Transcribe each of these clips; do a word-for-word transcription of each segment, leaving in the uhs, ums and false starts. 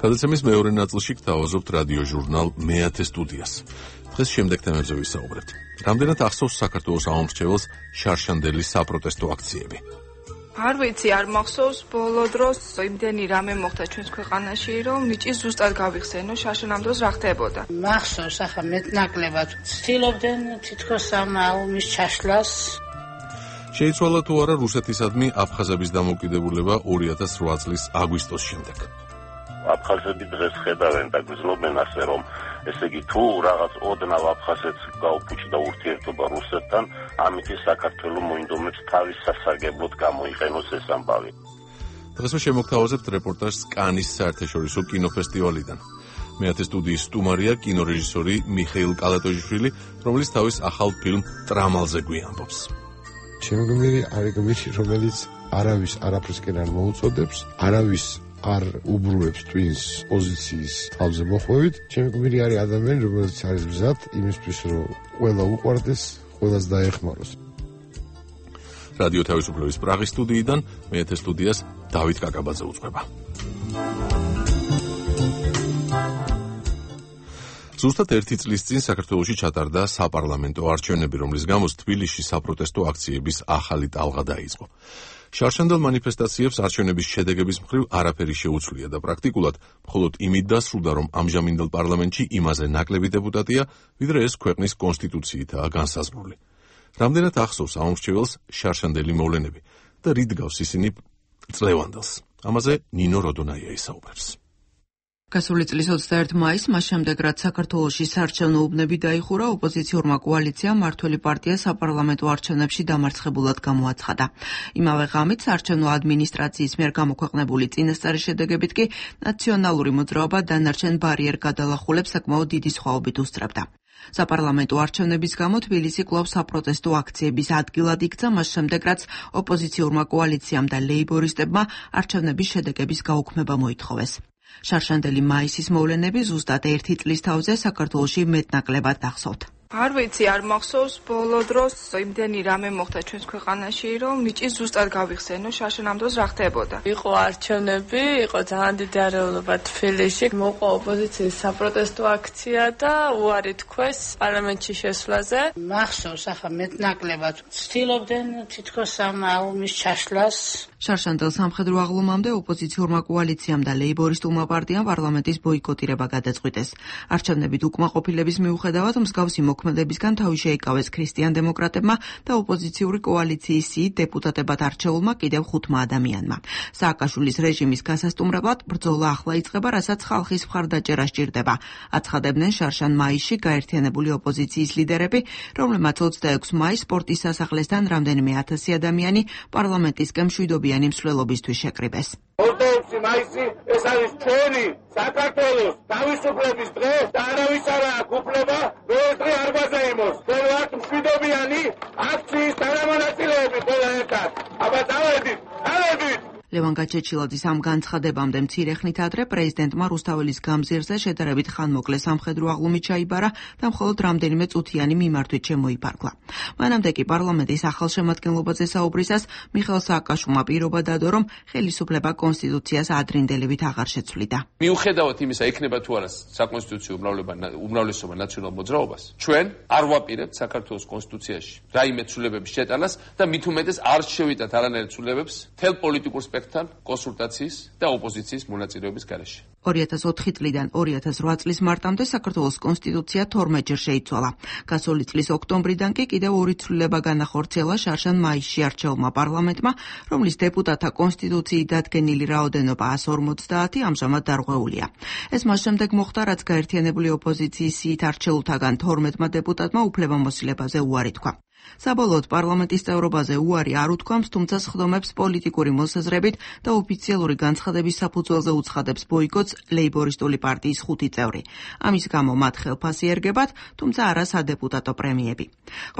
გადაცემის მეორე ნაწილში გთავაზობთ რადიო ჟურნალ მეათე სტუდიას. დღეს შემდეგ თემებზე ვისაუბრებთ. რამდენად ახსოვს საქართველოს ამომრჩეველს შარშანდელი საპროტესტო აქციები? არ ვიცი, არ მახსოვს ბოლო დროს იმდენი რამე მოხდა ჩვენს ქვეყანაში, რომ ნიჭი ზუსტად გავიხსენო შარშან ამ დროს რა ხდებოდა. მახსოვს, ახლა მეტნაკლებად ცდილობდნენ თითქოს ამ ომის ჩაშლას. შეიცვალა თუ არა რუსეთისადმი აფხაზების დამოუკიდებულება ორი ათას რვა წლის აგვისტოს შემდეგ? აფხაზები დღეს ხედავენ და გრძნობენ ასე, რომ ესე იგი თუ რაღაც ოდნავ აფხაზეთს გაუფუჭდა ურთიერთობა რუსეთთან, ამით საქართველოს მოინდომებს თავის სასარგებლოდ გამოიყენოს ეს ამბავი. დღესვე შემოგთავაზებთ რეპორტაჟს კანის საერთაშორისო კინოფესტივალიდან. მეათე სტუდიის სტუმარია კინორეჟისორი მიხეილ კალატოჟიშვილი, რომელიც თავის ახალ ფილმ ტრამალზე გვიამბობს. ჩემი გმირი არის გმირი, რომელიც არავის არაფრისკენ არ მოუწოდებს, არავის არ უბრუნებს twins პოზიციის თავზე მოხვევით. ჩემი გმირი არის ადამიანი, რომელიც არის მზად იმისთვის, რომ ყველა უყვარდეს, ყველას დაეხმაროს. რადიო თავისუფლების პრაღის სტუდიიდან მეათე სტუდიას დავით კაკაბაძე უწყება. ზუსტად ერთი წლის წინ საქართველოში ჩატარდა საპარლამენტო არჩევნები, რომლის გამოც თბილისში საპროტესტო აქციების ახალი ტალღა დაიწყო. შარშანდელ მანიფესტაციებს არჩევნების შედეგების მხრივ არაფერი შეუცვლია და პრაქტიკულად მხოლოდ იმით დასრულდა, რომ ამჟამინდელ პარლამენტში იმაზე ნაკლები დეპუტატია, ვიდრე ეს ქვეყნის კონსტიტუციითაა განსაზღვრული. რამდენად ახსოვს ამომრჩეველს შარშანდელი მოვლენები და რით გავს ისინი წლევანდელს? ამაზე ნინო როდონაია ისაუბრებს. გასული წლის ოცდაერთი მაისს, მას შემდეგ რაც საქართველოში საარჩევნო უბნები დაიხურა, ოპოზიციურმა კოალიციამ მმართველი პარტია საპარლამენტო არჩევნებში დამარცხებულად გამოაცხადა. იმავე ღამით საარჩევნო ადმინისტრაციის მიერ გამოქვეყნებული წინასწარი შედეგებით კი ნაციონალური მოძრაობა დანარჩენ ბარიერ გადალახულებს საკმაოდ დიდი სხვაობით უსწრებდა. საპარლამენტო არჩევნების გამო თბილისი კვლავ საპროტესტო აქციების ადგილად იქცა, მას შემდეგ რაც ოპოზიციურმა კოალიციამ და ლეიბორისტებმა არჩევნების შედეგების გაუქმება მოითხოვეს. შარშანდელი მაისის მოვლენები ზუსტად ერთი წლის თავზე საქართველოში მეტნაკლებად ახსოვთ. არ ვიცი, არ მახსოვს ბოლო დროს იმდენი რამე მოხდა ჩვენს ქვეყანაში, რომ ნიჭი ზუსტად გავიხსენო შარშან ამ დროს რა ხდებოდა. იყო არჩევნები, იყო ძალიან დიდი არეულობა თბილისში, მოყვა ოპოზიციის საპროტესტო აქცია და უარი თქვეს პარლამენტში შესვლაზე. მახსოვს, ახლა მეტნაკლებად ცდილობდნენ თითქოს ამ ომის ჩაშლას. შარშანდელ სამხედრო აღლომამდე ოპოზიციურმა კოალიციამ და ლეიბორისტულმა პარტიამ პარლამენტის ბოიკოტირება გადაწყვიტეს. არჩევნებით უკმაყოფილების მიუხედავად მსგავსი მოქმედებისგან თავი შეიკავეს ქრისტიან დემოკრატებმა და ოპოზიციური კოალიციის სიით დეპუტატებად არჩეულმა კიდევ ხუთმა ადამიანმა. სააკაშვილის რეჟიმის გასასტუმრებლად ბრძოლა ახლა იწყება, რასაც ხალხის მხარდაჭერა სჭირდება. აცხადებდნენ შარშან მაისში გაერთიანებული ოპოზიციის ლიდერები, რომლებმაც ოცდაექვსი მაისს სპორტის სასახლესთან რამდენიმე ათასი ადამიანი პარლამენტისკენ მშვიდობიანი მსვლელობისთვის შეკრიბეს. ოცდაექვსი მაისი ეს არის ჩვენი საქართველოს თავისუფლების დღე და არავის არ აქვს უფლება ეს დღე არ გვაზეიმოს. ხოლო აქ მშვიდობიანი აქციის თანამონაწილეები ყველა ერთად. აბა წავედით, წავედით. ლევან გაჩეჩილაძის ამ განცხადებამდე მცირე ხნით ადრე პრეზიდენტმა რუსთაველის გამზირზე შედარებით ხანმოკლე სამხედრო აღლუმი ჩაიბარა და მხოლოდ რამდენიმე წუთიანი მიმართვით შემოიფარგლა. მანამდე კი პარლამენტის ახალ შემადგენლობაზე საუბრისას მიხეილ სააკაშვილმა პირობა დადო, რომ ხელისუფლება კონსტიტუციას ადრინდელებით აღარ შეცვლიდა. მიუხედავად იმისა, ექნება თუ არა საკონსტიტუციო უმრავლესობა ნაციონალურ მოძრაობას, ჩვენ არ ვაპირებთ საქართველოს კონსტიტუციაში რაიმე ცვლილებების შეტანას და მით უმეტეს არ შევიტანთ არანაირ ცვლილებებს თელ პოლიტიკურ სპექტრთან კონსულტაციის და ოპოზიციის მონაწილეობის გარეშე. ორი ათას ოთხი წლიდან ორი ათას რვა წლის მარტამდე საქართველოს კონსტიტუცია თორმეტჯერ შეიცვალა. გასული წლის ოქტომბრიდან კი კიდევ ორი ცვლილება განახორციელა შარშან მაისში არჩეულმა პარლამენტმა, რომლის დეპუტატთა კონსტიტუციით დადგენილი რაოდენობა ას ორმოცდაათი ამჟამად დარღვეულია. ეს მას შემდეგ მოხდა, რაც გაერთიანებული ოპოზიციის სიით არჩეულთაგან თორმეტმა დეპუტატმა უფლებამოსილებაზე უარი თქვა. საბოლოოდ პარლამენტის წევრობაზე უარი არ უთქვამს, თუმცა სხდომებს პოლიტიკური მოსაზრებით და ოფიციალური განცხადების საფუძველზე უცხადებს ბოიკოტს ლეიბორისტული პარტიის ხუთი წევრი. ამის გამო მათ ხელფასი ერგებათ, თუმცა არა სადეპუტატო პრემიები.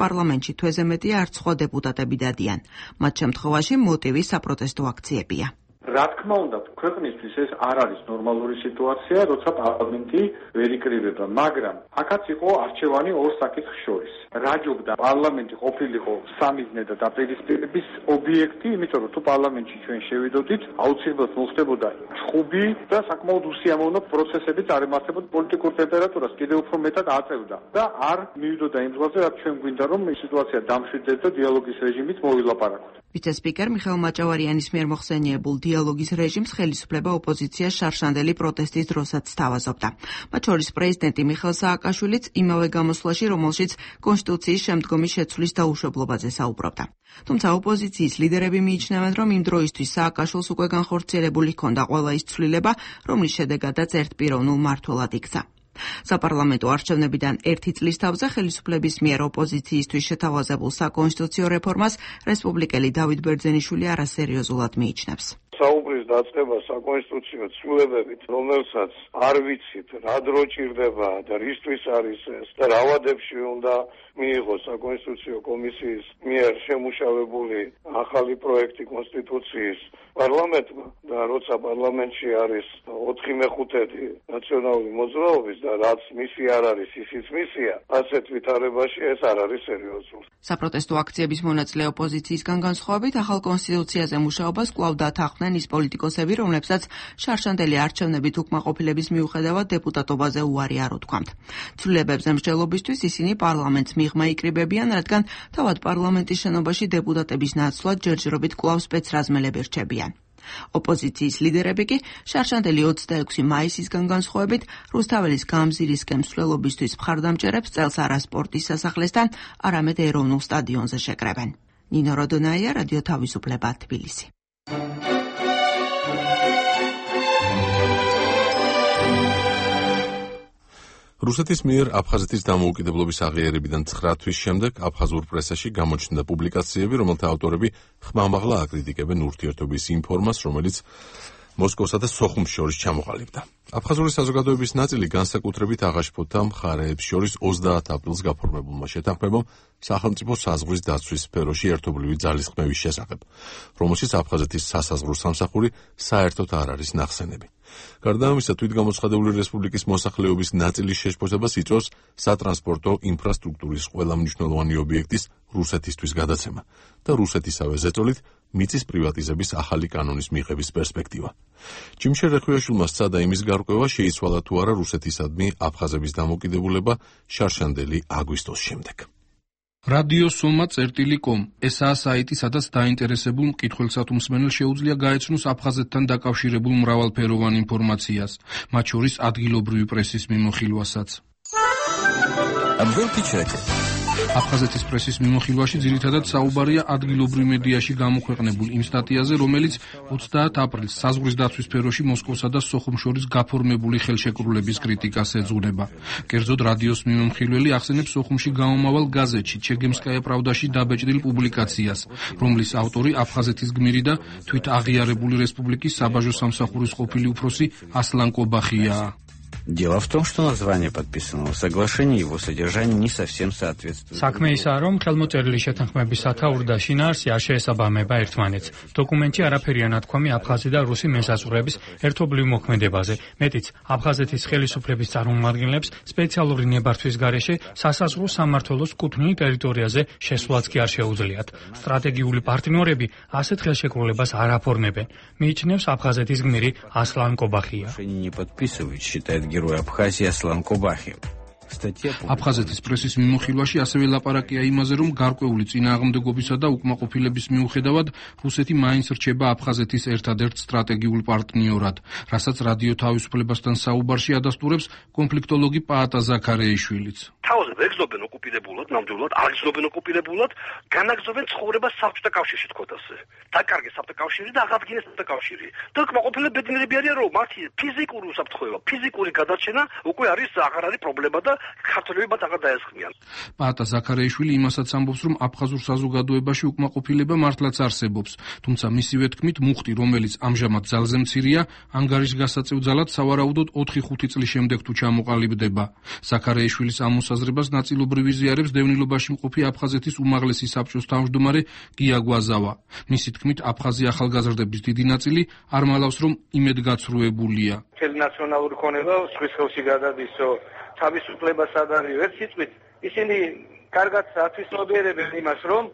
პარლამენტში თვეზე მეტია არც სხვა დეპუტატები დადიან. მათ შემთხვევაში მოტივი საპროტესტო აქციებია. რა თქმა უნდა, ქვეყნისთვის ეს არ არის ნორმალური სიტუაცია, როცა პარლამენტი ვერ იკრიბება, მაგრამ აქაც იყო არჩევანი ორ საკითხს შორის. რაჯობდა პარლამენტი ყოფილიყო სამიზნე და დაპირისპირების ობიექტი, იმიტომ რომ თუ პარლამენტში ჩვენ შევიდოდით, აუცილებლად მოხდებოდა ჩხუბი და საკმაოდ უსიამოვნო პროცესები წარიმართებოდა პოლიტიკურ ტემპერატურას კიდევ უფრო მეტად აწევდა და არ მივიდოდა იმ ზღვაზე, რაც ჩვენ გვინდა რომ ეს სიტუაცია დამშვიდდეს და დიალოგის რეჟიმით მოვილაპარაკოთ. ვიცე-სპიკერ მიხეილ მაჭავარიანის მიერ მოხსენიებულ დიალოგის რეჟიმს ხელისუფლება ოპოზიციას შარშანდელი პროტესტის დროსაც სთავაზობდა. მათ შორის პრეზიდენტი მიხეილ სააკაშვილიც იმავე გამოსვლაში, რომელშიც კონსტიტუციის შემდგომი შეცვლის დაუშვებლობაზე საუბრობდა. თუმცა ოპოზიციის ლიდერები მიიჩნევენ, რომ იმ დროისთვის სააკაშვილს უკვე განხორციელებული ჰქონდა ყველა ის ცვლილება, რომლის შედეგადაც ერთპიროვნულ მმართველად იქცა. საპარლამენტო არჩევნებიდან ერთი წლის თავზე ხელისუფლების მიერ ოპოზიციისთვის შეთავაზებულ საკონსტიტუციო რეფორმას რესპუბლიკელი დავით ბერძენიშვილი არასერიოზულად მიიჩნევს. საუბრის დაწყება საკონსტიტუციო ცვლილებებით, რომელსაც არ ვიცით, რა დრო ჭირდება და რისთვის არის ეს და რა ვადებში უნდა მიიღოს საკონსტიტუციო კომისიის მიერ შემუშავებული ახალი პროექტი კონსტიტუციის პარლამენტმა და როცა პარლამენტში არის ოთხი მეხუთედი ნაციონალური მოძრაობის და რაც მისი არ არის, ისიც მისია, ასეთ ვითარებაში ეს არ არის სერიოზული. საპროტესტო აქციების მონაწილე ოპოზიციისგან განსხვავებით, ახალ კონსტიტუციაზე მუშაობას კვლავ დათანხმდნენ ის პოლიტიკოსები, რომლებსაც შარშანდელი არჩევნებით უკმაყოფილების მიუხედავად დეპუტატობაზე უარი არ უთქვამთ. ცვლილებებზე მსჯელობისთვის ისინი პარლამენტს მიღმა იკრიბებიან, რადგან თავად პარლამენტის შენობაში დეპუტატების ნაცვლად ჯერჯერობით კვლავ სპეცრაზმელები რჩებიან. ოპოზიციის ლიდერები კი შარშანდელი ოცდაექვსი მაისისგან განსხვავებით რუსთაველის გამზირისკენ მსვლელობისთვის მხარდამჭერებს წელს არა სპორტის სასახლესთან, არამედ ეროვნულ სტადიონზე შეკრებენ. ნინო როდონაია, რადიო თავისუფლება, თბილისი. რუსეთის მიერ აფხაზეთის დამოუკიდებლობის აღიარებიდან ცხრა თვის შემდეგ აფხაზურ პრესაში გამოჩნდა პუბლიკაციები, რომელთა ავტორები ხმამაღლა აკრიტიკებენ ურთიერთობის იმ ფორმას, რომელიც მოსკოვსა და სოხუმს შორის ჩამოყალიბდა. აფხაზური საზოგადოების ნაწილი განსაკუთრებით აღაშფოთა მხარეებს შორის ოცდაათ აპრილს გაფორმებულმა შეთანხმებამ სახელმწიფო საზღვრის დაცვის სფეროში ერთობლივი ძალისხმევის შესახებ, რომელშიც აფხაზეთის სასაზღვრო სამსახური საერთოდ არ არის ნახსენები. გარდა ამისა, თვითგამოცხადებული რესპუბლიკის მოსახლეობის ნაწილის შეშფოთებას იწვევს სატრანსპორტო ინფრასტრუქტურის ყველა მნიშვნელოვანი ობიექტის რუსეთისთვის გადაცემა და რუსეთისავე ზეწოლით მიწის პრივატიზების ახალი კანონის მიღების პერსპექტივა. ჯიმშერ რეხუიაშვილმა სცადა იმის გარკვევა, შეიცვალა თუ არა რუსეთისადმი აფხაზების დამოკიდებულება შარშანდელი აგვისტოს შემდეგ. რადიო სომა წერტილი კომ ესაა საიტი, სადაც დაინტერესებულ მკითხველსა თუ მსმენელს შეუძლია გაეცნოს აფხაზეთთან დაკავშირებულ მრავალფეროვან ინფორმაციას, მათ შორის ადგილობრივი პრესის მიმოხილვასაც. აფხაზეთის პრესის მიმოხილვაში ძირითადად საუბარია ადგილობრივ მედიაში გამოქვეყნებულ იმ სტატიაზე, რომელიც ოცდაათ აპრილს საზღვრის დაცვის სფეროში მოსკოვსა და სოხუმს შორის გაფორმებული ხელშეკრულების კრიტიკას ეძღვნება. კერძოდ, რადიოს მიმოხილველი ახსენებს სოხუმში გამომავალ გაზეთში ჩეგემსკაია პრავდაში დაბეჭდილ პუბლიკაციას, რომლის ავტორი აფხაზეთის გმირი და თვით აღიარებული რესპუბლიკის საბაჟო სამსახურის ყოფილი უფროსი ასლან კობახიაა. Дело в том, что название подписанного соглашения и его содержание не совсем соответствует. საქმე ისაა, რომ ხელმოწერილი შეთანხმების სათაური და შინაარსი არ შეესაბამება ერთმანეთს. დოკუმენტში არაფერია ნათქვამი აფხაზი და რუსი მეზაზღვრების ერთობლივ მოქმედებაზე. მეტიც, აფხაზეთის ხელისუფლების წარმომადგენლებს სპეციალური ნებართვის გარეშე სასაზღვრო სამმართველოს კუთვნილ ტერიტორიაზე შესვლაც კი არ შეუძლიათ. სტრატეგიული პარტნიორები ასეთ ხელშეკრულებას არ აფორმებენ. მიიჩნევს აფხაზეთის გმირი ასლან კობახია. Герой Абхазии Аслан Кобахи. აფხაზეთის პრესის მიმოხილვაში ასევე ლაპარაკია იმაზე, რომ გარკვეული წინააღმდეგობისა და უკმაყოფილების მიუხედავად რუსეთი მაინც რჩება აფხაზეთის ერთადერთ სტრატეგიულ პარტნიორად, რასაც რადიო თავისუფლებასთან საუბარში ადასტურებს კონფლიქტოლოგი პაატა ზაქარეიშვილიც. თავზე ვეგზობენ ოკუპირებულად, ნამდვილად, არ გზნობენ ოკუპირებულად, განაგზობენ ცხოვრებას საბჭოთა კავშირში თქოდასე. დაკარგეს საბჭოთა კავშირი და აღადგინეს საბჭოთა კავშირი. და უკმაყოფილები ბედნიერები არიან, რომ მათი ფიზიკური უსაფრთხოება, ფიზიკური გადარჩენა უკვე არის აღარ არის პრობლემა და ქართველები მათ აღარ დაესხმიან. პაატა ზაქარიაშვილი იმასაც ამბობს, რომ აფხაზურ საზოგადოებაში უკმაყოფილება მართლაც არსებობს, თუმცა მისივე თქმით, მუხტი, რომელიც ამჟამად ძალზე მცირეა, ანგარიშგასაწევ ძალად სავარაუდოდ ოთხი ხუთი წლის შემდეგ თუ ჩამოყალიბდება. ზაქარიაშვილის ამ მოსაზრებას ნაწილობრივ იზიარებს დევნილობაში მყოფი აფხაზეთის უმაღლესი საბჭოს თავმჯდომარე გია გვაზავა. მისი თქმით, აფხაზი ახალგაზრდების დიდი ნაწილი არ მალავს, რომ იმედგაცრუებულია. მთელი ნაციონალური ქონება სხვის ხელში გადადისო, თავისუფლებას არ არის ერთ სიტყვით. ისინი კარგად ათვისნობიერებენ იმას, რომ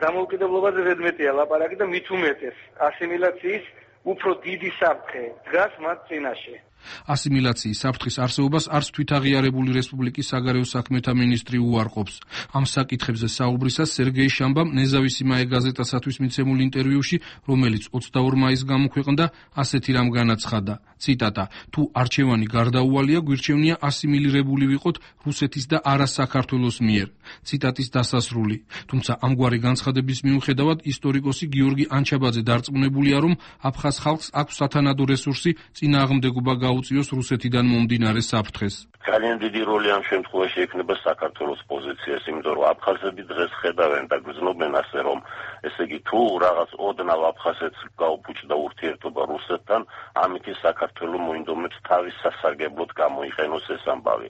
დამოუკიდებლობაზე ზედმეტია ლაპარაკი და მით უმეტეს ასიმილაციის უფრო დიდი საფრთხე დგას მათ წინაშე. ასიმილაციის საფრთხის არსებობას არც თვითაღიარებული რესპუბლიკის საგარეო საქმეთა მინისტრი უარყოფს. ამ საკითხებზე საუბრისას სერგეი შამბამ ნეზავისიმაე გაზეტასათვის მიცემულ ინტერვიუში, რომელიც ოცდაორ მაისს გამოქვეყნდა, ასეთი რამ განაცხადა. ციტატა: თუ არჩევანი გარდაუვალია, გვირჩევნია ასიმილირებული ვიყოთ რუსეთის და არა საქართველოს მიერ. ციტატის დასასრული. თუმცა ამგვარი განცხადების მიუხედავად ისტორიკოსი გიორგი ანჩაბაძე დარწმუნებულია, რომ აფხაზ ხალხს აქვს სათანადო რესურსი წინააღმდეგობა გაუწიოს რუსეთიდან მომდინარე საფრთხეს. ძალიან დიდი როლი ამ შემთხვევაში ექნება საქართველოს პოზიციას, იმიტომ რომ აფხაზები დღეს ხედავენ და გრძნობენ ასე, რომ ესე იგი თუ რაღაც ოდნავ აფხაზეთს გაუფუჭდა ურთიერთობა რუსეთთან, ამითი საქართველოს მოინდომებს თავის სასარგებლოდ გამოიყენოს ეს ამბავი.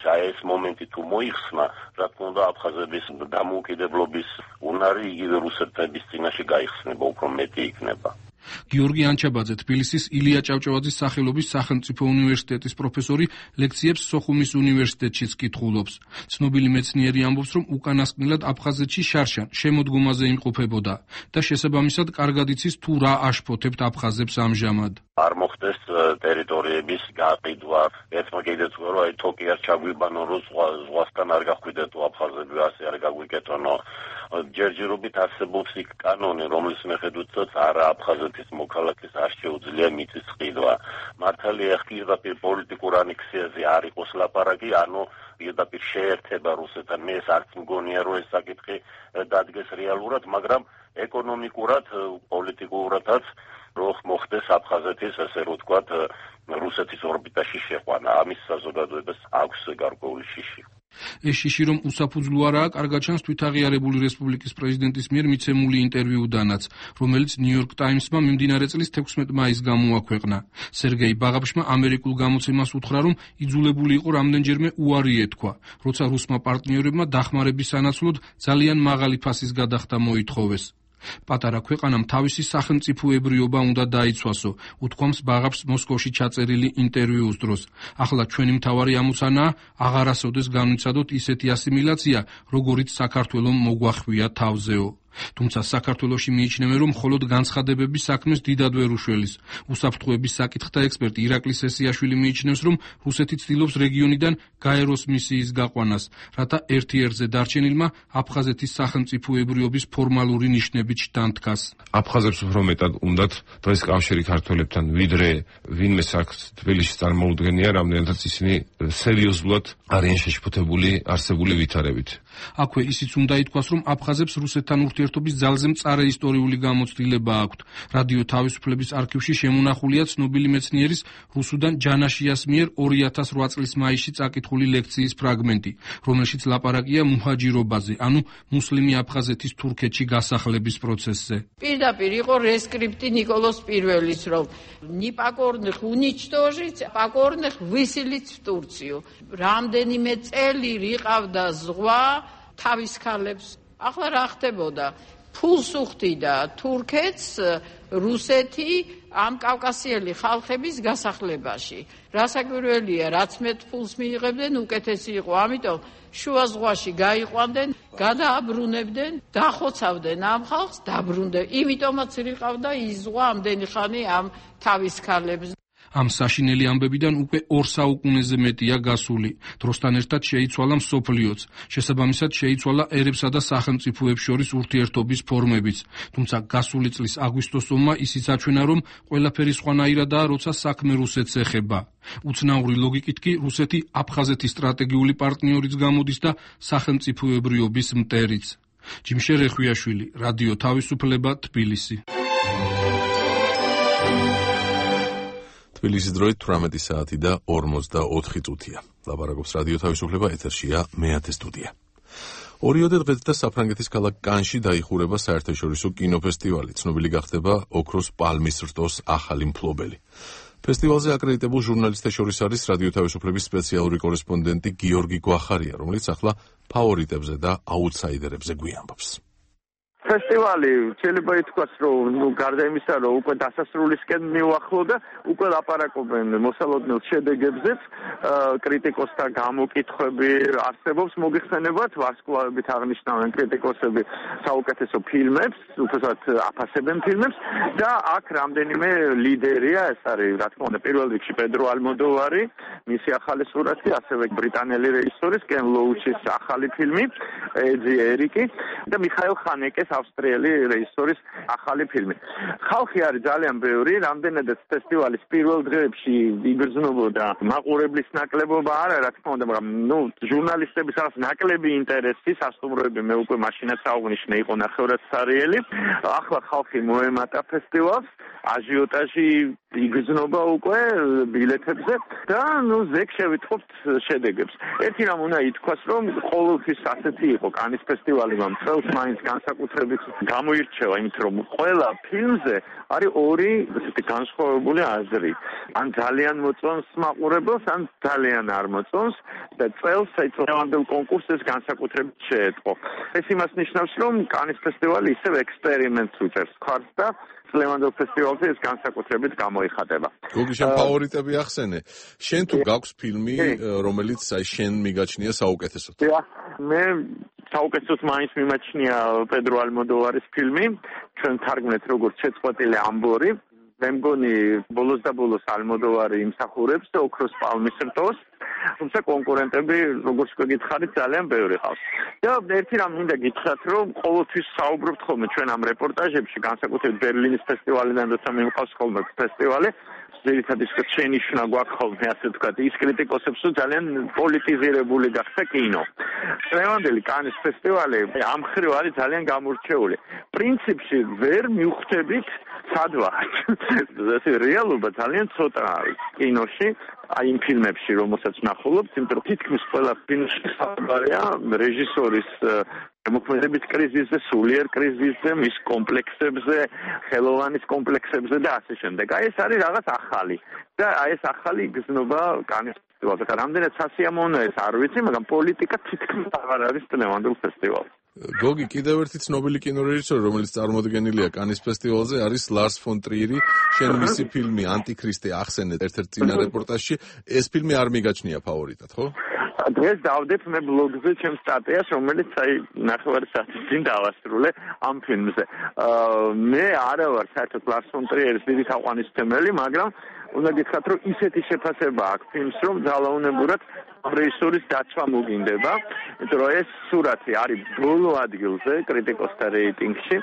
ეს მომენტი თუ მოიხსნა, რა თქმა უნდა აფხაზების დამოუკიდებლობის უნარი იგივე რუსეთების წინაშე გაიხსნება, უფრო მეტი იქნება. გიორგი ანჩაბაძე თბილისის ილია ჭავჭავაძის სახელობის სახელმწიფო უნივერსიტეტის პროფესორი ლექციებს სოხუმის უნივერსიტეტშიც კითხულობს. ცნობილი მეცნიერი ამბობს, რომ უკანასკნელად აფხაზეთში შარშან შემოდგომაზე იმყოფებოდა და შესაბამისად კარგად იცის თუ რა აშფოთებთ აფხაზებს ამჟამად. არ მოხდეს ტერიტორიების გაყიდვა, ერთმა კიდეც რომ აი თოკი არ ჩაგვიბანო, რომ ზღვასთან არ გახვიდეთო აფხაზები, ასე არ გაგვიკეთონო. ჯერჯერობით არსებობს იქ კანონი, რომლის მიხედვითაც არა აფხაზეთის მოქალაქეს არ შეუძლია მიწის ყიდვა. მართალია პირდაპირ პოლიტიკურ ანექსიაზე არ იყოს ლაპარაკი, ანუ პირდაპირ შეერთება რუსეთთან. მე ეს არც მგონია, რომ ეს საკითხი დადგეს რეალურად, მაგრამ ეკონომიკურად, პოლიტიკურადაც რომ მოხდეს აფხაზეთის, ასე რომ ვთქვათ, რუსეთის ორბიტაში შეყვანა. ამის საზოგადოებას აქვს გარკვეული შიში. ეს შიში რომ უსაფუძვლო არაა, კარგად ჩანს თვითაღიარებული რესპუბლიკის პრეზიდენტის მიერ მიცემული ინტერვიუდანაც, რომელიც ნიუ-იორკ ტაიმსმა მიმდინარე წლის თექვსმეტ მაისს გამოაქვეყნა. სერგეი ბაღაბშმა ამერიკულ გამოცემას უთხრა, რომ იძულებული იყო რამდენჯერმე უარი ეთქვა, როცა რუსმა პარტნიორებმა დახმარების სანაცვლოდ ძალიან მაღალი ფასის გადახდა მოითხოვეს. პატარა ქვეყანამ თავისი სახელმწიფოებრიობა უნდა დაიცვასო, უთქვამს ბაღაბს მოსკოვში ჩაწერილი ინტერვიუს დროს. ახლა ჩვენი მთავარი ამოცანაა აღარასოდეს განვიცადოთ ისეთი ასიმილაცია, როგორიც საქართველომ მოგვახვია თავზეო. თუმცა საქართველოში მიიჩნევენ, რომ მხოლოდ განცხადებების საქმეს დიდად ვერ უშველის. უსაფრთხოების საკითხთა ექსპერტი ირაკლი სესიაშვილი მიიჩნევს, რომ რუსეთი ცდილობს რეგიონიდან გაეროს მისიის გაყვანას, რათა ერთ-ერთზე დარჩენილმა აფხაზეთის სახელმწიფოებრიობის ფორმალური ნიშნებით შთანთქას. აფხაზებს უფრო მეტად უნდათ დღეს კავშირი ქართველებთან, ვიდრე ვინმე აქვს თბილისში წარმოუდგენია, რამდენადაც ისინი სერიოზულად არიან შეშფოთებული არსებული ვითარებით. აქვე ისიც უნდა ითქვას, რომ აფხაზებს რუსეთთან ურთიერთობის ძალზე მწარე ისტორიული გამოცდილება აქვთ. რადიო თავისუფლების არქივში შემონახულია ცნობილი მეცნიერის რუსუდან ჯანაშიას მიერ ორი ათას რვა წლის მაისში წაკითხული ლექციის ფრაგმენტი, რომელშიც ლაპარაკია მუჰაჯირობაზე, ანუ მუსლიმი აფხაზეთის თურქეთში გასახლების პროცესზე. პირდაპირ იყო რესკრიპტი ნიკოლოს პირველის, რომ ნი პაკორნეხ უნიჩტოჟიც, პაკორნეხ ვისილიც в Турცию. რამდენიმე წელი რიყავდა ზღვა თავის ქალებს. ახლა რა ხდებოდა? ფულს უხდიდა თურქეთს რუსეთი ამ კავკასიელი ხალხების გასახლებაში. რასაკვირველია, რაც მეტ ფულს მიიღებდნენ, უკეთესი იყო. ამიტომ შუა ზღვაში გაიყვანდნენ, გადააბრუნებდნენ, დახოცავდნენ ამ ხალხს, დაბრუნდნენ. იმიტომაც რიყავდა ის ზღვა ამდენი ხანი ამ თავის ქალებს. ამ საშინელი ამბებიდან უკვე ორ საუკუნეზე მეტია გასული. დროსთან ერთად შეიცვალა მსოფლიოც. შესაბამისად შეიცვალა ერებსა და სახელმწიფოებს შორის ურთიერთობის ფორმებიც. თუმცა გასული წლის აგვისტოს ომმა ისიც აჩვენა, რომ ყველაფერი სხვანაირადაა, როცა საქმე რუსეთს ეხება. უცნაური ლოგიკით კი რუსეთი აფხაზეთის სტრატეგიული პარტნიორიც გამოდის და სახელმწიფოებრიობის მტერიც. ჯიმშე რეხვიაშვილი, რადიო თავისუფლება, თბილისი. თბილისის დროით თვრამეტი საათი და ორმოცდაოთხი წუთია. ლაპარაკობს რადიო თავისუფლება, ეთერშია მეათე სტუდია. ორიოდე დღეს და საფრანგეთის ქალაქ კანში დაიხურება საერთაშორისო კინოფესტივალი. ცნობილი გახდება ოქროს პალმის რტოს ახალი მფლობელი. ფესტივალზე აკრედიტებულ ჟურნალისტთა შორის არის რადიო თავისუფლების სპეციალური კორესპონდენტი გიორგი გვახარია, რომელიც ახლა ფავორიტებზე და აუთსაიდერებზე გვიამბობს. ფესტივალი შეიძლება ითქვას, რომ ნუ გარდა იმისა, რომ უკვე დასასრულისკენ მიუახლოვდა, უკვე ლაპარაკობენ მოსალოდნელ შედეგებზეც, კრიტიკოსთა გამოკითხვები არსებობს მოგიხსენებათ, ვარსკვლავებით აღნიშნავენ კრიტიკოსები საუკეთესო ფილმებს, უბრალოდ აფასებენ ფილმებს და აქ რამდენიმე ლიდერია, ეს არის რა თქმა უნდა პირველ რიგში პედრო ალმოდოვარი, მისი ახალი სურათი, ასევე ბრიტანელი რეჟისორის კენ ლოუჩის ახალი ფილმი, ეძი ერიკი და მიხაილ ხანეკეს ავსტრიელი რეჟისორის ახალი ფილმი. ხალხი არის ძალიან ბევრი, რამდენადაც ფესტივალის პირველ დღეებში იგრძნობოდა მაყურებლის ნაკლებობა არა, რა თქმა უნდა, მაგრამ ნუ ჟურნალისტების რაღაც ნაკლები ინტერესი, სასტუმროები მე უკვე მაშინაც აღვნიშნე იყო ნახევრადსარიელი. ახლა ხალხი მოემატა ფესტივალს, აჟიოტაჟი იგრძნობა უკვე ბილეთებზე და ნუ ზეგ შევიტყობთ შედეგებს. ერთი რამ უნდა ითქვას, რომ ყოველთვის ასეთი იყო კანის ფესტივალი, მაგრამ წელს მაინც განსაკუთრებით გამოირჩევა იმით, რომ ყველა ფილმზე არის ორი ესეთი განსხვავებული აზრი. ან ძალიან მოწონს მაყურებელს, ან ძალიან არ მოწონს და წელს წლევანდელ კონკურსს განსაკუთრებით შეეტყო. ეს იმას ნიშნავს, რომ კანის ფესტივალი ისევ ექსპერიმენტს უწევს ხარს და ლევანდელ ფესტივალზე ეს განსაკუთრებით გამოიხატება. გოგი, შენ ფავორიტები ახსენე. შენ თუ გაქვს ფილმი, რომელიც აი შენ მიგაჩნია საუკეთესოდ? დიახ, მე საუკეთესოდ მაინც მიმაჩნია პედრო ალმოდოვარის ფილმი, ჩვენ თარგმნეთ როგორც შეწყვეტილი ამბორი. მე მგონი ბოლოს და ბოლოს ალმოდოვარი იმსახურებს ოქროს პალმის რტოს, თუმცა კონკურენტები, როგორც გითხარით, ძალიან ბევრი ყავს. და ერთი რამ მინდა გითხრათ, რომ ყოველთვის საუბრობთ ხოლმე ჩვენ ამ რეპორტაჟებში, განსაკუთრებით ბერლინის ფესტივალიდან, როცა მიმყავს ხოლმე ფესტივალი, ძირითადად ის შენიშვნა გვაქვს ხოლმე, ასე ვთქვათ, ის კრიტიკოსებს, რომ ძალიან პოლიტიზირებული გახდა კინო. წლევანდელი კანის ფესტივალი ამ მხრივ არის ძალიან გამორჩეული. პრინციპში ვერ მივხვდებით სად ვართ. ეს რეალობა ძალიან ცოტა არის კინოში, აი იმ ფილმებში, რომელსაც ვნახულობთ, იმიტომ რომ თითქმის ყველა ფილმში საუბარია რეჟისორის მოქმედებით კრიზისზე, სულიერ კრიზისზე, მის კომპლექსებზე, ხელოვანის კომპლექსებზე და ასე შემდეგ. აი ეს არის რაღაც ახალი და აი ეს ახალი გზნობა კანის ფესტივალზე. რამდენად სასიამოვნოა ეს არ ვიცი, მაგრამ პოლიტიკა თითქმის აღარ არის წლევანდელ ფესტივალზე. გოგი, კიდევ ერთი ცნობილი კინორეჟისორი, რომელიც წარმოდგენილია კანის ფესტივალზე, არის ლარს ფონ ტრიერი. შენ მისი ფილმი ანტიქრისტე ახსენეთ ერთ-ერთ წინა რეპორტაჟში. ეს ფილმი არ მიგაჩნია ფავორიტად, ხო? დღეს დავდებ მე ბლოგზე ჩემს სტატიას, რომელიც აი ნახევარი საათის წინ დავასრულე ამ ფილმზე. მე არა ვარ საერთოდ ლარს ფონ ტრიერის დიდი თაყვანისმცემელი, მაგრამ უნდა გითხრათ, რომ ისეთი შეფასება აქვს ფილმს, რომ ძალაუნებურად რეჟისორის დაცვა მოგინდება, იმიტომ რომ ეს სურათი არის ბოლო ადგილზე კრიტიკოსთა რეიტინგში,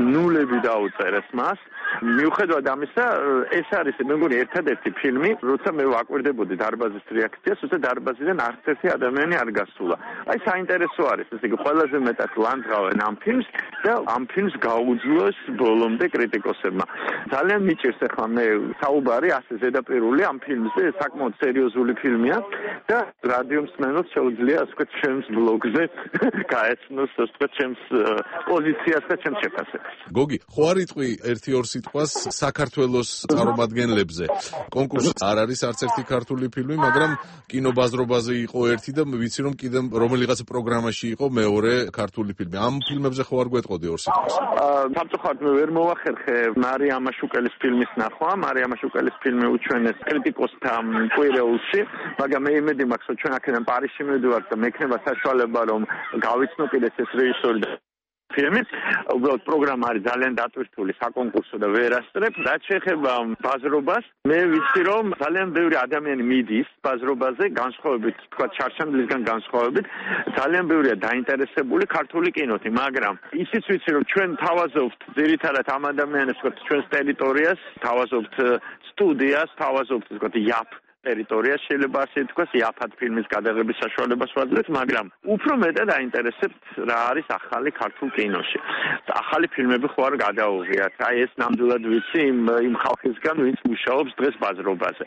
ნულები დაუწერეს მას. მიუხედავად ამისა, ეს არის მე მგონი ერთადერთი ფილმი, როცა მე ვაკვირდებოდი დარბაზის რეაქციას, უცებ დარბაზიდან არც ერთი ადამიანი არ გასულა. აი საინტერესო არის, ესე იგი ყველაზე მეტად ლანძღავენ ამ ფილმს და ამ ფილმს გაუძლოს ბოლომდე კრიტიკოსებმა. ძალიან მიჭირს ახლა მე საუბარი ასე ზედაპირული ამ ფილმზე, საკმაოდ სერიოზული ფილმია და რადიო მსმენელს შეუძლია ასე ვთქვათ ჩემს ბლოგზე გაეცნოს ასე ვთქვათ ჩემს პოზიციას და ჩემს შეფასებას. გოგი, ხო არ იტყვი ერთი ორ სიტყვას საქართველოს წარმომადგენლებზე. კონკურსი არ არის არც ერთი ქართული ფილმი, მაგრამ კინობაზრობაზე იყო ერთი და ვიცი რომ კიდე რომელიღაც პროგრამაში იყო მეორე ქართული ფილმი. ამ ფილმებზე ხო არ გვეტყოდი ორ სიტყვას? სამწუხაროდ მე ვერ მოვახერხე მარია მაშუკელის ფილმის ნახვა. მარია მაშუკელის ფილმი უჩვენეს კრიტიკოსთა კვირეულში, მაგრამ მე იმედი მაქვს, რომ ჩვენ აქედან პარიზში მივდივართ და მექნება საშუალება რომ გავიცნო კიდეც ეს რეჟისორი და ფილმი. უბრალოდ პროგრამა არის ძალიან დატვირთული საკონკურსო და ვერ ასწრებ. რაც შეეხება ბაზრობას, მე ვიცი რომ ძალიან ბევრი ადამიანი მიდის ბაზრობაზე, განსხვავებით თქვა ჩარჩამილისგან განსხვავებით, ძალიან ბევრია დაინტერესებული ქართული კინოთი, მაგრამ ისიც ვიცი რომ ჩვენ თავაზობთ ძირითადად ამ ადამიანებს, თქვა ჩვენს ტერიტორიას, თავაზობთ სტუდიას, თავაზობთ თქვა იაფ ტერიტორიას შეიძლება ასე თქვას, იაფად ფილმის გადაღების საშუალებას ვაძლევთ, მაგრამ უფრო მეტად აინტერესებთ რა არის ახალი ქართულ კინოში. ახალი ფილმები ხო არ გადაუღიათ. აი ეს ნამდვილად ვიცი იმ იმ ხალხისგან, ვინც მუშაობს დღეს ბაზრობაზე.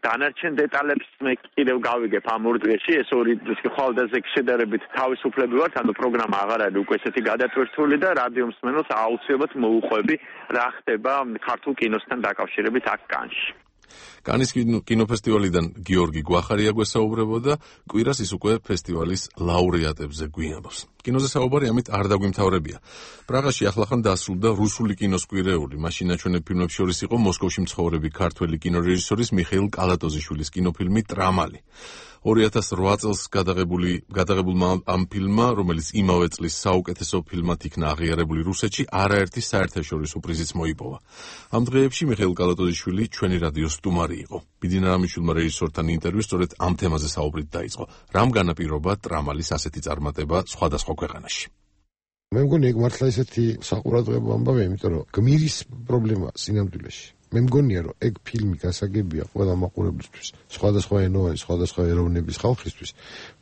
დანარჩენ დეტალებს მე კიდევ გავიგებ ამ ორ დღეში, ეს ორი ხვალდაზე შედარებით თავისუფლები ვართ, ანუ პროგრამა აღარ არის უკვე ესეთი გადატვირთული და რადიო მსმენელს აუცილებლად მოუყვები რა ხდება ქართულ კინოსთან დაკავშირებით აქ კანში. კანის კინოფესტივალიდან გიორგი გვახარია გვესაუბრებოდა, კვირას ის უკვე ფესტივალის ლაურეატებზე გვიამბობს. კინოზე საუბარი ამით არ დაგვიმთავრებია. პრაღაში ახლახან დასრულდა რუსული კინოს კვირეული. მაშინ ნაჩვენებ ფილმებს შორის იყო მოსკოვში მცხოვრები ქართველი კინორეჟისორის მიხეილ კალატოზიშვილის კინოფილმი ტრამალი. ორი ათას რვა წელს გადაღებული გადაღებულმა ამ ფილმმა, რომელიც იმავე წლის საუკეთესო ფილმად იქნა აღიარებული რუსეთში, არაერთი საერთაშორისო პრიზიც მოიპოვა. ამ დღეებში მიხეილ კალატოზიშვილი ჩვენი რადიოს სტუმარი იყო. ბიძინა რამიშვილმა რეჟისორთან ინტერვიუ სწორედ ამ თემაზე საუბრით დაიწყო. რამ განაპირობა ტრამალის ასეთი წარმატება სხვადასხვა ქვეყანაში? მე მგონი ეგ მართლა ისეთი საყურადღებო ამბავია, იმიტომ რომ გმირის პრობლემა სინამდვილეში. მე მგონია რომ ეგ ფილმი გასაგებია ყველა მაყურებლისთვის, სხვადასხვა ენოვანი, სხვადასხვა ეროვნების ხალხისთვის,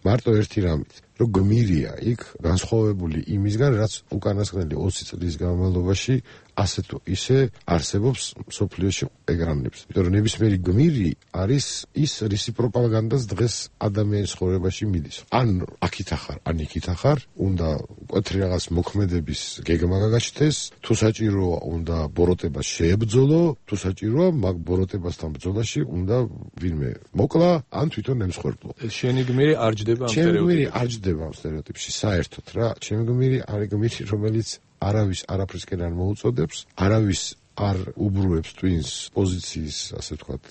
მარტო ერთი რამით, რომ გმირია იქ განსხვავებული იმისგან, რაც უკანასკნელი ოცი წლის განმავლობაში ასე თუ ისე არსებობს სოფლიოში ეკრანებზე. იმიტომ რომ ნებისმიერი გმირი არის ის რისი პროპაგანდას დღეს ადამიანის ცხოვრებაში მიდის. ან აქით ახარ, ან იქით ახარ, უნდა მკვეთრი რაღაც მოქმედების გეგმა გაგაჩნდეს, თუ საჭიროა, უნდა ბოროტებას შეებრძოლო, თუ საჭიროა, მაგ ბოროტებასთან ბრძოლაში უნდა ვინმე მოკლა, ან თვითონ ემსხვერპლო. შენი გმირი არ ჯდება ამ სტერეოტიპში. ჩემი გმირი არ ჯდება ამ სტერეოტიპში, საერთოდ რა. ჩემი გმირი არის გმირი, რომელიც არავის არაფრისკენ არ მოუწოდებს, არავის არ უბრუებს twins პოზიციის, ასე ვთქვათ,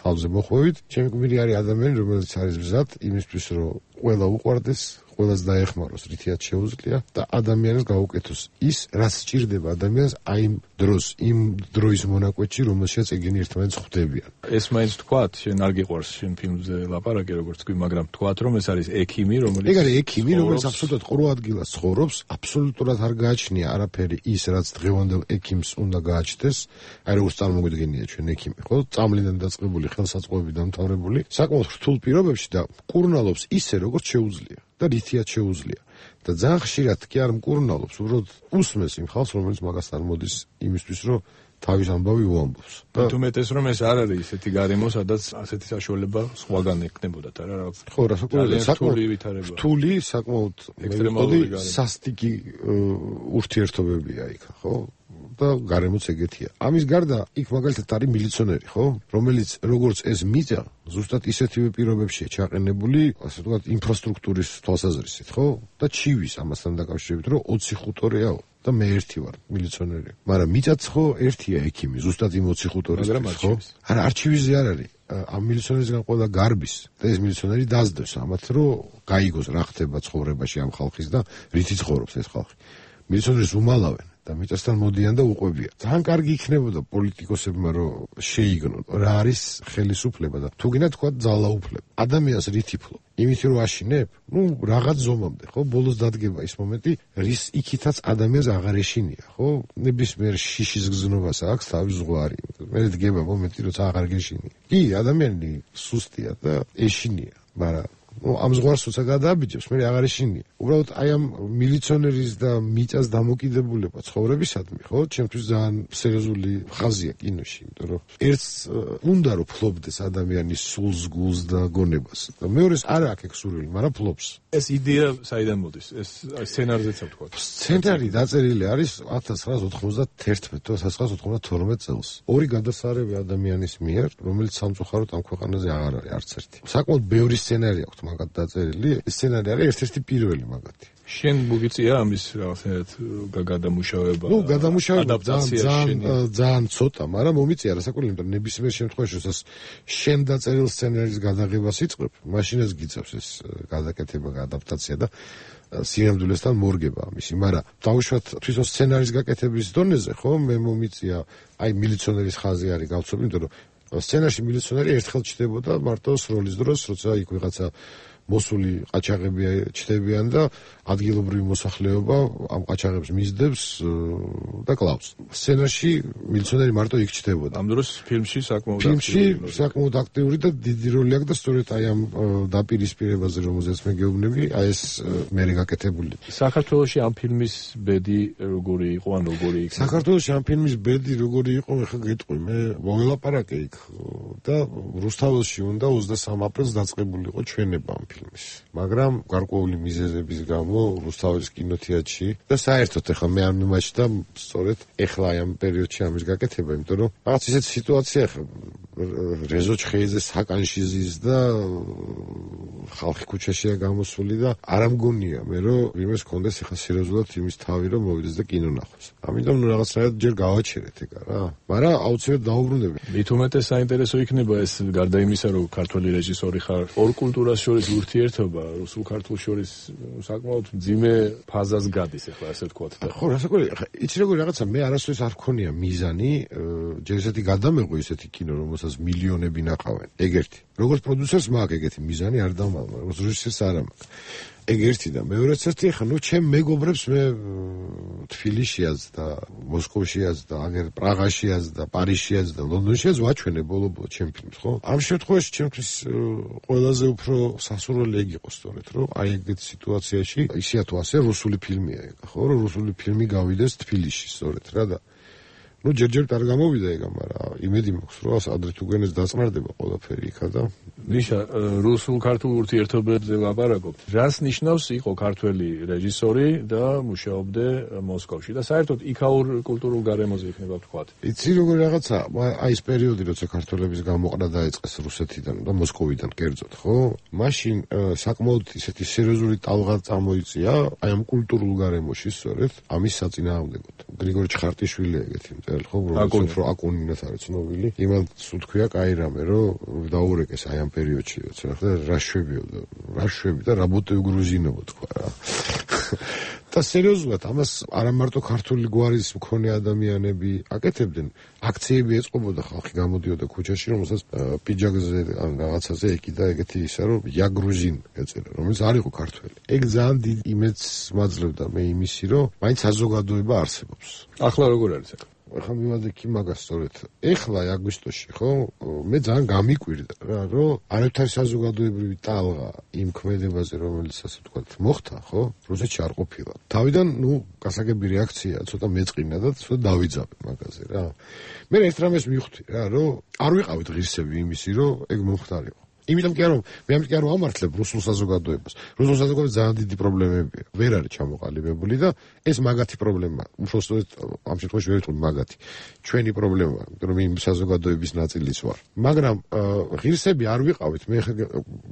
თავზე მოხვევით. ჩემი გმირი არის ადამიანი, რომელიც არის მზად იმისთვის, რომ ყველა უყვარდეს, ყველას დაეხმაროს, რითიაც შეუძლია და ადამიანს გაუკეთოს ის, რაც სჭირდება ადამიანს აი იმ დროს, იმ დროის მონაკვეთში, რომელშიც ეგენი ერთმანეთს ხვდებიან. ეს მაინც თქვათ, შენ არ გიყვარს შენ ფილმზე ლაპარაკი, როგორც თქვი, მაგრამ თქვათ, რომ ეს არის ექიმი, რომელიც ეგ არის ექიმი, რომელიც აბსოლუტურად ყრუ ადგილას ცხოვრობს, აბსოლუტურად არ გააჩნია არაფერი ის, რაც დღევანდელ ექიმს უნდა გააჩნდეს. აი როგორც წარმოგვიდგენია ჩვენ ექიმი, ხო? წამლიდან დაწყებული, ხელსაწყოები დამთავრებული, საკმაოდ რთულ პირობებში და კურნალობს ისე, როგორც შეუძლია. და რითიაც შეუძლია. და ძალიან ხშირად კი არ მკურნალობს, უბრალოდ უსმენს იმ ხალხს, რომელიც მაგასთან მოდის იმისთვის, რომ თავის ამბავი უამბობს. და თუ მეტეს რომ ეს არ არის ისეთი გარემო, სადაც ასეთი საშუალება სხვაგან ექნებოდათ, არა რა. ხო, რა საკუთრებით საკმაოდ რთული, საკმაოდ ექსტრემალური სასტიკი ურთიერთობებია იქ, ხო? და გარემოც ეგეთია. ამის გარდა იქ მაგალითად არის მილიციონერი, ხო? რომელიც როგორც ეს მიწა ზუსტად ისეთივე პირობებშია ჩაყენებული, ასე ვთქვათ, ინფრასტრუქტურის თვალსაზრისით, ხო? და ჩივის ამასთან დაკავშირებით, რომ ოცი ხუტორეაო და მე ერთი ვარ მილიციონერი. მაგრამ მიწაც ხო ერთია ექიმი, ზუსტად იმ ოცი ხუთორის, ხო? არა, არჩივიზე არ არის. ამ მილიციონერისგან ყველა გარბის და ეს მილიციონერი დაძდებს ამათ, რომ გაიგოს რა ხდება ცხოვრებაში ამ ხალხის და რითი ცხოვრობს ეს ხალხი. მილიციონერის უმალავენ და მიწასთან მოდიან და უყვებიან. ძალიან კარგი იქნებოდა პოლიტიკოსებმა რომ შეიგნონ რა არის ხელისუფლება და თუ გინდა თქვა ძალაუფლება. ადამიანს რითი ფლობ? იმით რომ აშინებ? ნუ რაღაც ზომამდე, ხო? ბოლოს დადგება ის მომენტი, რის იქითაც ადამიანს აღარ ეშინია, ხო? ნებისმიერ შიშის გზნობას აქვს თავის ზღვარი. მე დგება მომენტი, როცა აღარ გეშინია. კი, ადამიანი სუსტია და ეშინია, მაგრამ ну ამ ზღვარს როცა გადააბიჯებს, მე აღარ ეშინია. უბრალოდ აი ამ მილიციონერის და მიწას დამოკიდებულება ცხოვრებისადმი, ხო? ჩემთვის ძალიან სერიოზული ხაზია კინოში, იმიტომ რომ ერთს უნდა რომ ფლობდეს ადამიანის სულს, გულს და გონებას. და მეორეს არ აქვს ეგ სურვილი, მაგრამ ფლობს. ეს იდეა საიდან მოდის? ეს სცენარზეც ვთქვათ. სცენარი დაწერილი არის ათას ცხრაას ოცდაათი თუ ათას ცხრაას ოცდათორმეტ წელს. ორი გადასარევი ადამიანის მიერ, რომელიც სამწუხაროდ ამ ქვეყანაზე აღარ არის არც ერთი. საკმაოდ ბევრი სცენარი აქვს მაგათ დაწერილი. ეს სცენარი არის ერთ-ერთი პირველი მაგათი. შენ მოგიწია ამის რაღაცნაირად გადამუშავება? ნუ გადამუშავება ძალიან ძალიან ცოტა, მაგრამ მომიწია რასაკვირველია, იმიტომ ნებისმიერ შემთხვევაში, როდესაც შენ დაწერილ სცენარის გადაღებას იწყებ, მაშინაც გიწევს ეს გადაკეთება, ადაპტაცია და სინამდვილესთან მორგება ამისი, მაგრამ დავუშვათ თვითონ სცენარის გაკეთების დონეზე, ხო, მე მომიწია, აი მილიციონერის ხაზი არის გავცნობ, იმიტომ რომ სცენარში მილიციონერი ერთხელ ჩნდებოდა მარტო სროლის დროს, როცა იქ ვიღაცა მოსული ყაჩაღები ჩდებიან და ადგილობრივი მოსახლეობა ამ ყაჩაღებს მისდევს და კლავს. სცენარში მილიციონერი მარტო იქ ჩდებოდა. ამ დროს ფილმში საკმაოდ ფილმში საკმაოდ აქტიური და დიდი როლი აქვს და სწორედ აი ამ დაპირისპირებაზე რომელზეც მე გეუბნები, აი ეს მე გაკეთებული. საქართველოში ამ ფილმის ბედი როგორი იყო ან როგორი იქნება? საქართველოში ამ ფილმის ბედი როგორი იყო, ეხლა გეტყვი, მე მოველაპარაკე იქ და რუსთაველში უნდა ოცდასამ აპრილს დაწყებულიყო ჩვენება ამ ფილმის. მაგრამ გარკვეული მიზეზების გამო რუსთაველის კინოთეატრში და საერთოდ ეხლა მე არ მიმაჩნდა სწორედ ეხლა აი ამ პერიოდში ამის გაკეთება, იმიტომ რომ რაღაც ისეთი სიტუაცია ეხლა რეზო ჩხეიძე საკანში ზის და ხალხი ქუჩაშია გამოსული და არ ამგონია მე რომ ვინმეს კონდეს ეხლა სერიოზულად იმის თავი რომ მოვიდეს და კინო ნახოს. ამიტომ ნუ რაღაცნაირად ჯერ გავაჩერეთ ეგა რა. მაგრამ აუცილებლად დაუბრუნდები. მით უმეტეს საინტერესო იქნება ეს გარდა იმისა რომ ქართველი რეჟისორი ხარ, ორ კულტურას შორის ურთიერთობა რუსულ ქართულ შორის საკმაოდ მძიმე ფაზას გადის ეხლა ასე ვთქვათ და ხო რასაკვირველია ეხლა იცი როგორი რაღაცა მე არასდროს არ ქონია მიზანი ჯერ ესეთი გადამეღო ესეთი კინო რომელსაც მილიონები ნახავენ ეგ ერთი როგორც პროდიუსერს მაქვს ეგეთი მიზანი არ დამალმა როგორც რეჟისორს არ მაქვს ეგ ერთი და მეორეც ერთი ეხლა ნუ ჩემ მეგობრებს მე თბილისშიაც და მოსკოვშიაც და აგერ პრაღაშიაც და პარიზშიაც და ლონდონშიაც ვაჩვენე ბოლო-ბოლო ჩემ ფილმს ხო ამ შემთხვევაში ჩემთვის ყველაზე უფრო სასურველი ეგ იყო სწორედ რომ აი ეგეთ სიტუაციაში ისია თუ ასე რუსული ფილმია ეგ ხო რომ რუსული ფილმი გავიდეს თბილისში სწორედ რა და ну ჯერჯერობით არ გამოვიდა ეგა, მაგრამ იმედი მაქვს, რომ ადრე თუ გენეს დაწნარდება ყველაფერი იქა და ნიშა რუსულ-ქართულ ურთიერთობებზე ლაპარაკობთ. რას ნიშნავს იყო ქართველი რეჟისორი და მუშაობდა მოსკოვში და საერთოდ იქაურ კულტურულ გარემოზე იქნება ვთქვათ. იცი როგორ რაღაცა, აი ეს პერიოდი როცა ქართველების გამოყრა დაიწყეს რუსეთიდან და მოსკოვიდან კერძოდ, ხო? მაშინ საკმაოდ ისეთი სერიოზული ტალღა წამოიწია აი ამ კულტურულ გარემოში სწორედ ამის საწინააღმდეგოდ. გრიგორი ჩხარტიშვილი ეგეთი ხო უფრო აკუნინათ არის ცნობილი იმად სუთქვია კაი რამე რომ დაურეკეს აი ამ პერიოდში როცა ხა რა შვებიო და რა შვები და რაბოტევ გრუზინოვო თქვა რა და სერიოზულად ამას არა მარტო ქართული გვარის მქონე ადამიანები აკეთებდნენ აქციები ეწყობოდა ხალხი გამოდიოდა ქუჩაში რომელსაც პიჯაკზე ან რაღაცაზე ეკიდა ეგეთი ისა რომ ია გრუზინ ეწერა რომელიც არ იყო ქართველი ეგ ძალიან დიდ იმედს მაძლევდა მე იმისი რომ მაინც საზოგადოება არსებობს ახლა როგორ არის აქ ახლა მივადექი მაგას სწორედ ეხლა აგვისტოში ხო მე ძალიან გამიკვირდა რა რომ არაერთი საზოგადოებრივი ტალღა იმ ქმედებაზე რომელიც ასე ვთქვათ მოხდა ხო რუსეთში არ ყოფილა თავიდან ნუ გასაგები რეაქცია ცოტა მეწყინა და ცოტა დავიძაბე მაგაზე რა მე ერთ რამეს მივხვდი რა რომ არ ვიყავით ღირსები იმისი რომ ეგ მომხდარიყო იმიტომ კი არა მე ამით კი არ ვამართლებ რუსულ საზოგადოებას რუსულ საზოგადოებას ძალიან დიდი პრობლემებია ვერ არის ჩამოყალიბებული და ეს მაგათი პრობლემაა უბრალოდ ამ შემთხვევაში ვერ ვიტყვი მაგათი ჩვენი პრობლემაა რომ იმ საზოგადოების ნაწილიც ვარ მაგრამ ღირსები არ ვიყავით მე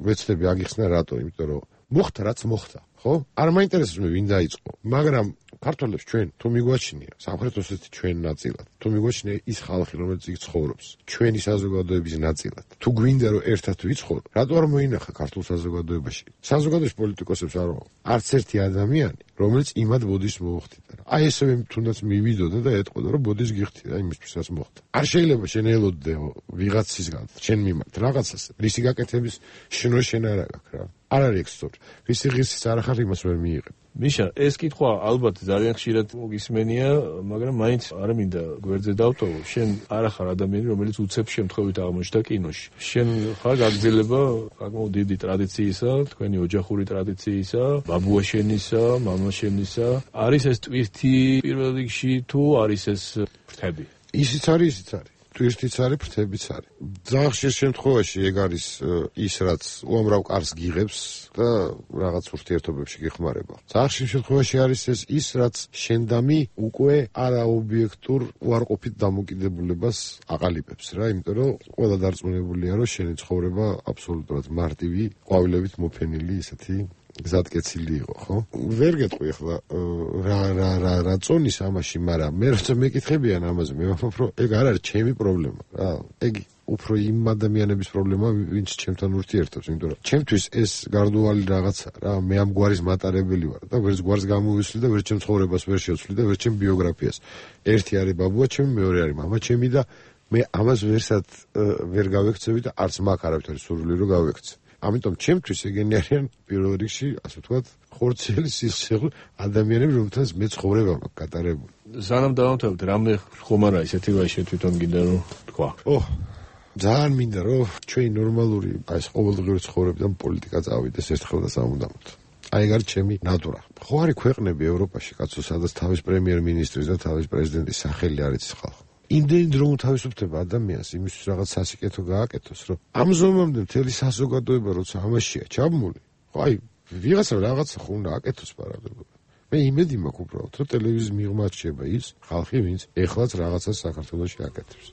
ვეცდები აგიხსნა რატო იმიტომ რომ მოხდა რაც მოხდა ხო არ მაინტერესებს მე ვინ დაიწყო მაგრამ ქართველებს ჩვენ თუ მიგვაჩნია სამხრეთ ოსეთის ჩვენ ნაწილად თუ მიგვაჩნია ის ხალხი რომელიც იქ ცხოვრობს ჩვენი საზოგადოების ნაწილად თუ გვინდა რომ ერთად ვიცხოვრო რატო არ მოინახა ქართულ საზოგადოებაში საზოგადოების პოლიტიკოსებს არ არც ერთი ადამიანი რომელიც იმად ბოდიშს მოუხდიდა აი ესე თუნდაც მივიდოდა და ეტყოდა რომ ბოდიშს გიხდიდა იმისთვის რაც მოხდა არ შეიძლება შენ ელოდდეო ვიღაცისგან შენ მიმართ რაღაცას რისი გაკეთების შენ შენ არა გაქვს რა არ არის ეგ სწორი რისი ღირსიც არ ახარ იმას ვერ მიიღებ ნიშა ეს კითხვა ალბათ ძალიან ხშირად მოგისმენია მაგრამ მაინც არ მინდა გვერდზე დავტოვო შენ არ ახარ ადამიანი რომელიც უცებ შემთხვევით აღმოჩნდა კინოში შენ ხარ გაგრძელება საკმაოდ დიდი ტრადიციისა თქვენი ოჯახური ტრადიციისა ბაბუა შენისა მამა შენისა არის ეს ტვირთი პირველ რიგში თუ არის ეს ფრთები ისიც არის ისიც არის ტვირთიც არის, ფრთებიც არის. ძალიან ხშირ შემთხვევაში ეგ არის ის, რაც უამრავ კარს გიღებს და რაღაც ურთიერთობებში გიხმარება. ძალიან ხშირ შემთხვევაში არის ეს ის, რაც შენდამი უკვე არაობიექტურ უარყოფით დამოკიდებულებას აყალიბებს რა, იმიტომ რომ ყველა დარწმუნებულია, რომ შენი ცხოვრება აბსოლუტურად მარტივი, ყვავილებით მოფენილი ისეთი გზატკეცილი იყო, ხო? ვერ გეტყვი ახლა რა რა რა რა წონის ამაში, მაგრამ მე როცა მეკითხებიან ამაზე, მე ვამბობ, რომ ეგ არ არის ჩემი პრობლემა, რა. ეგ უფრო იმ ადამიანების პრობლემა, ვინც ჩემთან ურთიერთობს, იმიტომ რომ ჩემთვის ეს გარდუვალი რაღაცა, რა, მე ამ გვარის მატარებელი ვარ და ვერც გვარს გამოვისვლი და ვერც ჩემ ცხოვრებას ვერ შევცვლი და ვერც ჩემ ბიოგრაფიას. ერთი არის ბაბუა ჩემი, მეორე არის მამა ჩემი და მე ამას ვერსად ვერ გავექცევი და არც მაგ არავითარი სურვილი რომ გავექცე. ამიტომ ჩემთვის ეგენი არიან პირველ რიგში, ასე ვთქვათ, ხორცელი სისხლ ადამიანები, რომელთაც მე ცხოვრება მაქვს გატარებული. სანამ დავამთავრებთ, რამე ხომ არა ისეთი ვაჟი თვითონ გინდა რომ თქვა. ოჰ, ძალიან მინდა რომ ჩვენი ნორმალური ეს ყოველდღიური ცხოვრებიდან პოლიტიკა წავიდეს ერთხელ და სამუდამოდ. აი ეგ არის ჩემი ნატურა. ხო არის ქვეყნები ევროპაში, კაცო, სადაც თავის პრემიერ-მინისტრის და თავის პრეზიდენტის სახელი არ იცის ხალხი. იმდენი დრო უთავისუფლდება ადამიანს იმისთვის რაღაც სასიკეთო გააკეთოს, რომ ამ ზომამდე მთელი საზოგადოება როცა ამაშია ჩაბმული, ხო აი ვიღაცამ რაღაცა ხო უნდა აკეთოს პარადოქსალურად. მე იმედი მაქვს უბრალოდ, რომ ტელევიზიის მიღმა რჩება ის ხალხი, ვინც ეხლაც რაღაცას საქართველოში აკეთებს.